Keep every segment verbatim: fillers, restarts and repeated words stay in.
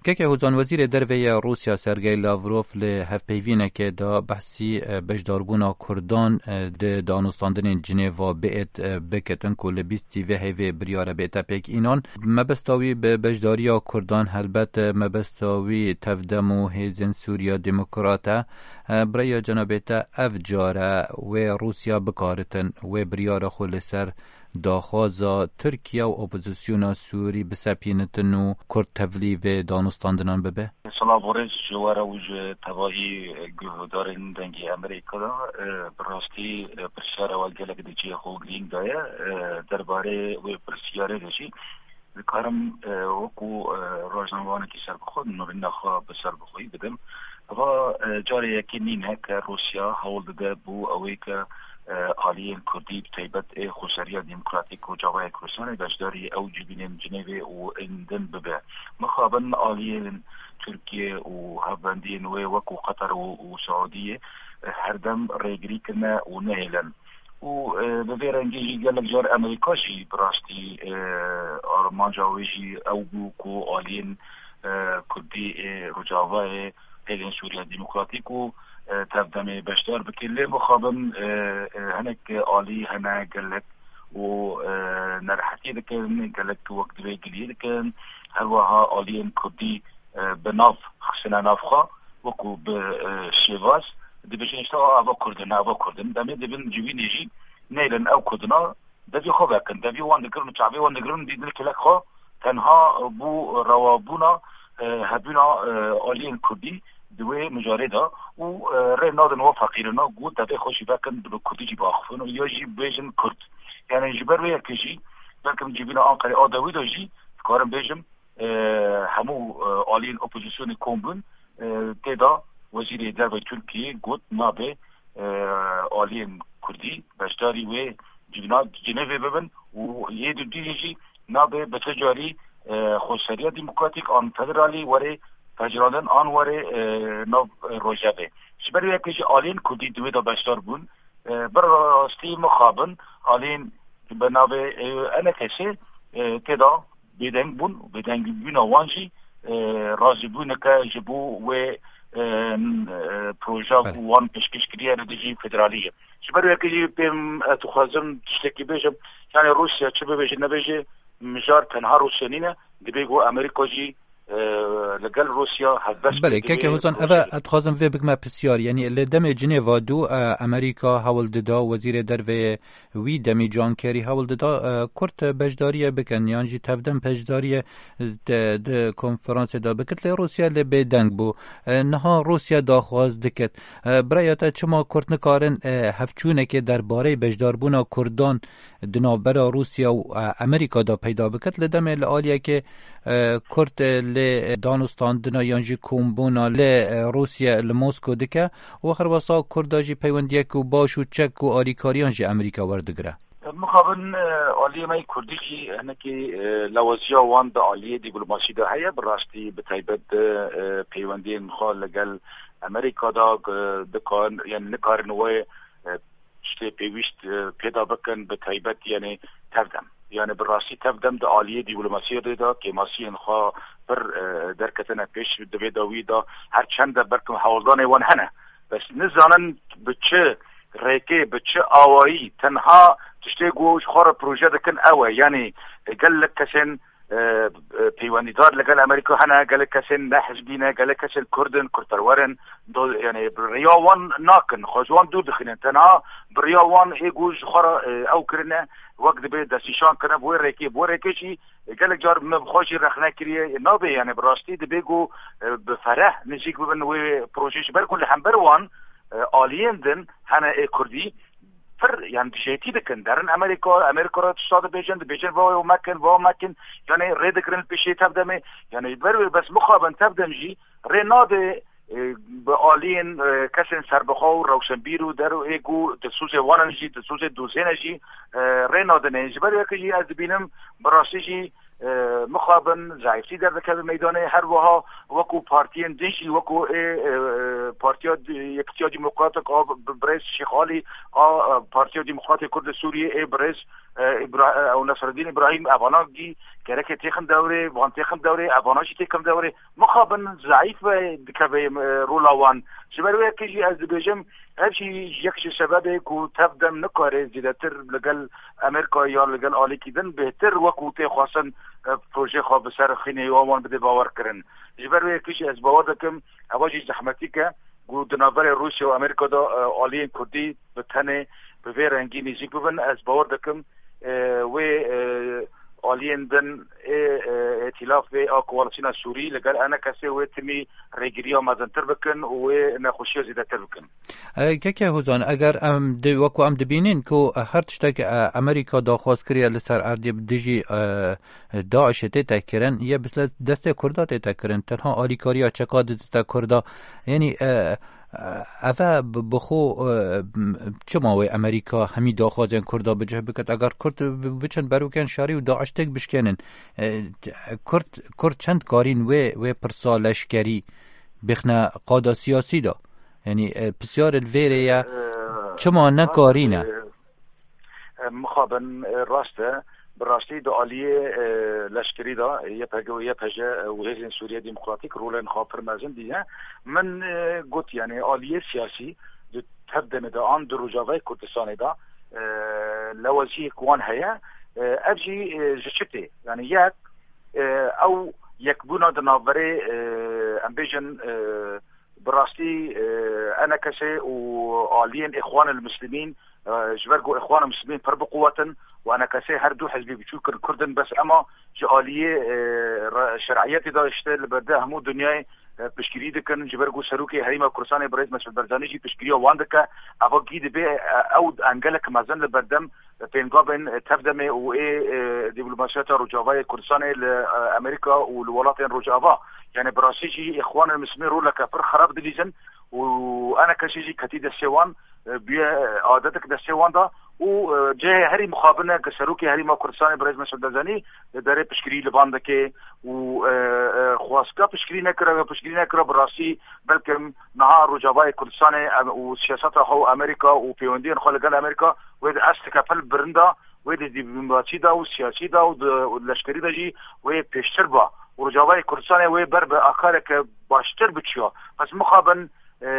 Keke Hozan, Wezîrê Derve ya Rûsya Sergey Lavrov li hevpeyvînekê de behsî, e, beşdarbûna Kurdan, e, di danûstandinên Cinêva biêt, e, bikitin ku li bîstî vê heyvê biryare bête pêk înan. Mebesta wî bi beşdariya Kurdan helbet, e, mebesta wî tevdem û hêzên Sûriya Demokrat e. E, bi rêya cenabê te ev care wê Rûsya bikaritin wê biryara xwe li ser daxwaza Tirkiye û opozisyona Sûrî bisepînitin û Kurd tevlî vê danûstandinan bibe? Silav û rêz ji we re û ji tevahî guhdarên Dengê Amerîka de. E, bi rastî, e, pirsyara we gelek di cihê xwe û girîng de ye. E, derbarê wê pirsyarê de jî dikarim, e, wekû, e, rojnamevanekî serbixwe nûrîna xwe bi serbixweyî bidim. Eva, e, carê yekê nîne ke Rûsya hewl dide bo ewê ke, e, aliyên Kurdî, bi taybet ê Xweseriya Demokratîk û Rojavayê Kurdistanê beşdarî ew civînên Cinêvê û ên din bibe. Mixabin aliyên Tirkiye û hevbendiyên wê wekû Qeter û, û Saudiyê, e, herdem rêgirî kirine û nehêlin. Û, e, bi vê rengê jî gelek car Amerîka jî bi rastî, e, armanca wê jî ew bû ku aliyên, e, Kurdî ê Rojavayê, hêzên Sûriya Demokratîk û, e, tevdemê beşdar bikin. Lê mixabin, e, e, hinek alî hene gelek û, e, nerehetiyê dikin, gelek wek divê giliyê dikin. Her wiha aliyên Kurdî, e, bi nav xistine nav xwe, wekû bi, e, şêvaz dibêjin, işte, "A, eva Kurd in, eva Kurd in." Demê dibin civînê jî nêlin ew Kurdina devê xwe vekin. Devê wan digirin û çavê wan digirin, dîtin kilek xwe tenha bo rewabûna, e, hebûna, e, aliyên Kurdî di wê mijarê de û, e, rê nadin we feqîrina ku devê xwe jî vekin, bi Kurdî jî biaxifin û ya jî bêjin Kurd. Yani ji ber wê yekê jî, belkim civîna Anqerê a dawî de jî dikarim bêjim, e, hemû, e, aliyên opozisyonê kom bûn, e, tê de Wezîrê Derve Tirkiyê got nabe, e, aliyên Kurdî beşdarî wê civîna Cinêvê bibin û yê dudiyê jî nabe bi ti carî, e, Xweseriya Demokratîk an Federalî were pejirandin an were, e, nav, e, Rojevê. Ji ber wê yekê jî aliyên Kurdî di wê de beşdar bûn. E, bi rastî mixabin aliyên bi navê, e, enekesê, e, tê de bêdeng bûn û bêdengbûna wan jî, e, razîbûneke ji bo wê, e, n-, e, proja ku Belê. wan pêşkêş kiriye li dijî federalî ye. Ji ber wekî jî pêm ez dixwazim tiştekî bêjim, yani Rûsya çi bibêje nebêje, mijar tenha Rûsya nîne, dibê ku Amerîka jî, e, li gel Rûsya helbest Belê, keke Hozan, eve ez dixwazim vê bikime pisyar, yani li demê Cinêva du, e, Amerîka hewl dida, wezîrê derveyê wî Demî Can Kerî hewl dida, e, Kurd beşdariyê bikin, yan jî tevdem beşdariyê, e, de, di konferansê de bikit, lê Rûsya lê bêdeng bû. E, niha Rûsya daxwaz dikit. E, bi raya te çima Kurd nikarin, e, hevçûnekê derbarê beşdarbûna Kurdan di navbera Rûsya û, e, Amerîka de peyda bikit? Li demê li aliyekê, e, Kurd, e, lê, e, danûstandina yan jî kombûna lê, e, Rûsya li Mosko dike û her wesa Kurda jî peywendiyek û baş û çek û alîkariyan ji Amerîka werdigire. Mixabin, e, aliyê me yê Kurdî jî hinekî, e, lawaziya wan di aliyê dîplomasî de heye. Bi rastî bi taybet di, e, peywendiyên xwe li gel Amerîka de, e, dikar, yani nikarin wê, e, tiştê pêwîst, e, pêda bikin, bi taybet yani tevdem. Yani bi rastî tevdem di aliyê dîplomasiyê de de kêmasiyên xwe pir, e, derketine pêş di vê dawî de, her çend de belkim hewldanê wan hene. Bes nizanin bi çi rêkê, bi çi awayî, tenha tiştê ku ji xwe re proje dikin ew e. Yani, e, gelek kesên, e, e, peywendîdar li gel Amerîka hene, gelek kesên ne hizbî ne, gelek kesên Kurd in, Kurdperwer in, do-, yani bi riya wan nakin, xwe ji wan dûr dixînin. Tenha bi riya wan ê ku ji xwe re, e, ew kirine, wek dibê destnîşan kirine bi wê rêkê. Bi wê rêkê jî, e, gelek car me bi xwe jî rexne kiriye. E, nabe, yani bi rastî dibê ku, e, bi fereh nijîk bibin wê projeyê, ji ber ku li hember wan, e, aliyên din hene ê Kurdî, pir, yani, dijêtî dikin. Derin Amerîka, Amerîka re tişta dibêjin, dibêjin, "Va ew mekin, va mekin." Yani, rê digirin li pêşê tevdemê. Yani, ji ber wê bes mixabin tevdem jî rê nade, e, bi aliyên, e, kesên serbixwe û rewşenbîr û der û ê ku dilsozê wan in jî, dilsozê dozê ne jî, e, rê nadinê. Ji ber wê jî ez dibînim, bi rastî jî, e, mixabin, zeîftî derdikeve meydanê. Her wiha wekû partiyên din jî, wekû ê, e, Partiya Di-, Yekitiya Demokratîk a bi-, birêz Şêx Alî, a, e, Partiya Demokratê Kurd li Sûriyê, ê birêz, e, Îbra-, e, ew Nesreddîn Îbrahîm, evana jî gereke têxin dewrê, van têxin dewrê, evana jî têxin dewrê. Mixabin zeîf, e, dikeve, e, rola wan. Ji ber wê yekê jî ez dibêjim, ev jî yek ji sebebê ku tev dem nikare zêdetir li gel Amerîka ya li gel alîkî din bêhtir wekû tê xwestin, e, projeyê xwe bi ser xînê wan bide bawer kirin. Ji ber wê yekê jî ez bawer dikim, eva jî zehmetîk e ku di navberê Rûsya û Amerîka de, e, aliyên Kurdî bi tenê bi vê rengî nêzîk bibin. Ez bawer dikim, e, wê, e, aliyên din ê, e, îtîlafê a koalîsyona Sûrî li gel E N K S wê timî rêgiriya mezintir bikin û wê nexweşiya zêdetir bikin. E, Keke Hozan, eger em di, wekû em dibînin ku her tiştek, e, Amerîka daxwaz kiriye li ser erdê bi dijî, e, DAIŞê tête kirin, yê bi destê Kurda tête kirin, tenha alîkariya çeka didite Kurda. Yanî, e, e, eve bi, bi xwe, e, m-, çima wê Amerîka hemî daxwazên Kurda bi cih biket? Eger Kurd bi-, biçin berokên şerî û DAIŞ têk bişkênin, e, Kurd, Kurd çend karîn wê, wê pirsa leşkerî bixne qada siyasî de? Yanî, e, pisyar li vêrê ye, e, çima nekarîne? E, e, mixabin, e, rast e. Bi rastî di aliyê, e, leşkerî de, e, Y P G û Y P J, e, û Hêzên Sûriye Demokratîk rolên xwe pir mezin dîne. Min, e, got, yanî aliyê siyasî di tev demê de an di Rojavayê Kurdistanê de, e, lewaziyek wan heye. E, ev jî, e, ji çi tê? Yanî yek, e, ew yekbûna di navberê, e, em bêjin, e, bi rastî, e, E N K S û aliyên Îxwanil Muslimîn, e, ji ber ku Îxwanil Muslimîn pir biquwetin û E N K S her du hizbî biçûk kir Kurd in, bes ema ji aliyê, e, re-, şer'iyetê de işte li berde hemû dinyayê, e, piştgirî dikin, ji ber ku Serokê Herêma Kurdistanê Birêz Mesûd Barzanî jî piştgiriya wan dike. Eva gî dibe, e, ew engelek mezin li berdem pêngavên, e, tevdemê û ê, e, dîplomasiyeta Rojavayê Kurdistanê li, e, Amerîka û li welatên Rojava. Yani bi rastî jî Îxwanul Muslimîn roleke pir xerab dilîzin û E N K S jî ketî destê wan, e, bûye adetek destê wan da û, e, cihê herî mixabin e ku Serokê Herêma Kurdistanê Birêz Mesûd Barzanî li derê piştgirî li van dike û, e, e, xwestka piştgirî nekira, ya piştgirî nekira bi rastî belkim niha Rojavayê Kurdistanê em, û siyaseta xwe û Amerîka û pêwendiyên xwe li gel Amerîka wê di asteke pil birinda, wê di dîplomasî de û siyasî de û di, û di leşkerî de jî wê pêştir ba û Rojavayê Kurdistanê wê ber bi akareke baştir biçiya. Bes mixabin, e,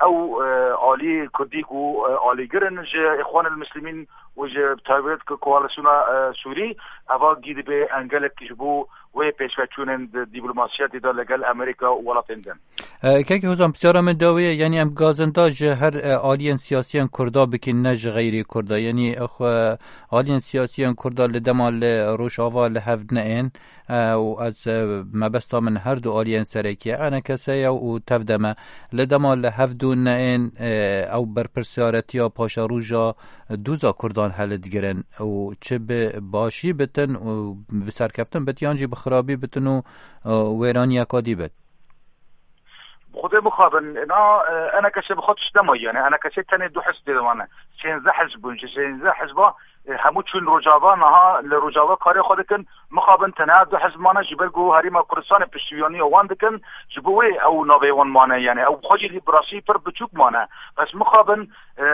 ew, e, alî Kurdî ku, e, alîgir in ji Îxwanil Muslimîn û ji bi taybet ku koalîsyona, e, Sûrî, eva gî dibe engelek ji bo wê pêşveçûnên di dîplomasiyetê de li gel Amerîka û welatên din. E, Kekê Hozan, pisyara min dawî ye, yanî em gazinda ji her, e, aliyên siyasiyên Kurda bikin, ne ji xeyrî Kurda. Yanî, e, xwe aliyên siyasiyên Kurda li dema li Rojava li hev neên, e, û ez, e, mebesta min her du aliyên serekî ye, E N K S ye û tevdem e. Li dema li hev du neên, e, ew berpirsiyaretiya paşeroja dûza Kurdan helidigirin û çi bi başî bitin û bi serkeftin bit, yan jî bi xirabî bitin û, e, wêraniyeka dî bit. Xwedê mixabin, na, e, E N K S bi xwe tişt nemaye, yani E N K S tenê du hizb tê de mane. Sêzdeh hizb bûn, ji sêzdeh hizba, e, hemû çûn Rojava, niha li Rojava karê xwe dikin. Mixabin tenha du hizb mane, ji ber ku Herêma Kurdistanê piştiyaniya wan dikin, ji bo wê ew navê wan mane, yani ew xwe jî bi rastî pir biçûk mane. Bes mixabin, e,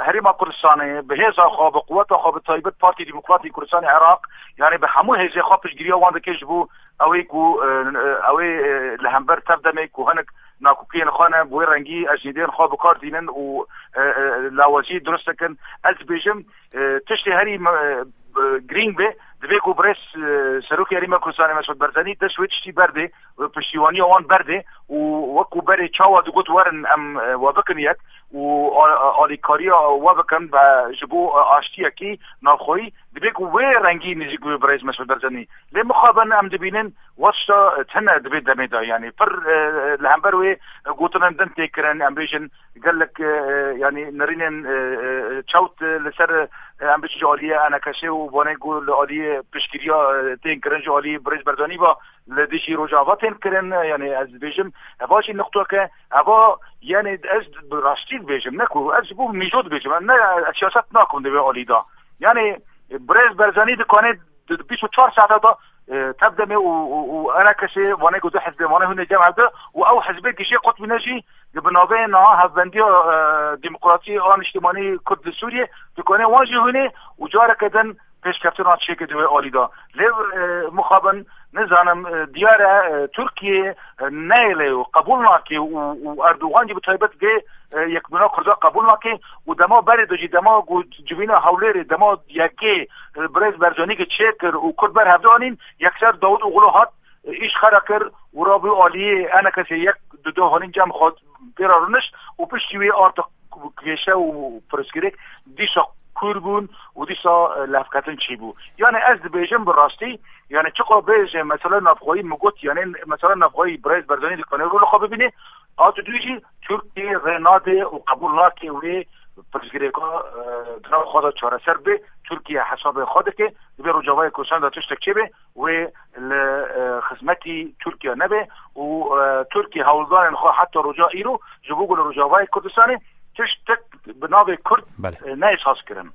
Herêma Kurdistanê bi hêza xwe, bi quweta xwe, bi taybet Partî Demokratî Kurdistanê Iraq, yani bi hemû hêzê xwe piştgiriya wan dike ji bo ew ê ku, e, e, ew ê, e, li hember tevdemê ku hinek nakokiyên xwe ne, bi wê rengî ecnîdên xwe bi kar tînin û, e, e, lawazî dirust dikin. Ez dibêjim, e, tiştê herî me-, e, e, girîng be, divê ku birêz, e, Serokê Herêma Kurdistanê Mesûd Barzanî dest wê tiştî berdê, wê piştîwaniya wan berdê û wekû berê çawa digot werin em, e, we bikin yek û a-, a-, alîkariya we bikin be ji bo, e, aştiyekî navxweyî, divê ku wê rengî nêzîk bibe birêz Mesûd Barzanî. Lê mixabin em dibînin, Wexta tune di vê demê de, yanî pir, e, li hember wê gotinên din tê kirin, em bêjin gelek, e, e, yanî nirînên, e, e, çewt, e, li ser, e, em bêjin ji aliyê E N K S û banê ku li aliyê piştgiriya, e, tên kirin ji aliyê Birêz Barzanî ve li dijî Rojava tên kirin, e, yanî ez dibêjim, eva jî nuqtoke, eva, yanî ez bi rastî dibêjim, ne ku ez ji bo mîjo dibêjim, ne, ez siyaset nakim di vê alî de. Yanî Birêz Barzanî dikane Di bîst û çar saeta de, e, tev demê û, û, û enekesê vanê ku du hizbê vanê hûnê cem hevde û ew hizbê gişê qutbîne jî di bi navê niha Hevbendiya, e, Demokratî a Niştimanî Kurd li Sûriyê, dikanê wan jî hûnê û careke din pêşkeftina çêke di wê alî de. Lê, e, mixabin, nizanim, e, diyar e, e, Tirkiye, e, neyêle û qebûl nake û, û Erdogan jî bi taybet vê, e, yekbûna Kurda qebûl nake û dema berê de jî dema ku civîna Hewlêrê dema yekê, e, Birêz Barzanî ke çêkir û Kurd ber hevde anîn, yekser Dawud Oxlu hat, e, îş xera kir û rabû aliyê enekesê yek du du hanîn cem xwe pê re rûnişt û piştî wê arta kêşe û pirsgirêk dîsa kûr bûn û dîsa, e, levketin çêbû. Yani ez dibêjim bi rastî, yani çiqa bêje mesela navxweyî min got, yani mesela navxweyî Birêz Barzanî dikanê rol xwe bibîne, a didû jî Tirkiye rê nade û qebûl nake wê pirsgirêka, e, di nav xwe de çareser bê. Tirkiye hesabê xwe dike, divê Rojavayê Kurdistan de tiştek çêbe, wê li, e, xizmetî Tirkiye nebe û, e, Tirkiye hewldanên xwe heta roja îro ji bo ku li Rojavayê Kurdistanê tiştek bi navê Kurd, Belê. e, neyê saz kirin.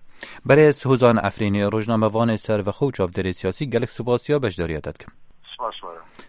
Berêz Hozan Efrînî, rojnamevanê servexwe û çavdêrê siyasî, gelek spasiya beşdariya te dikim. Spas, were.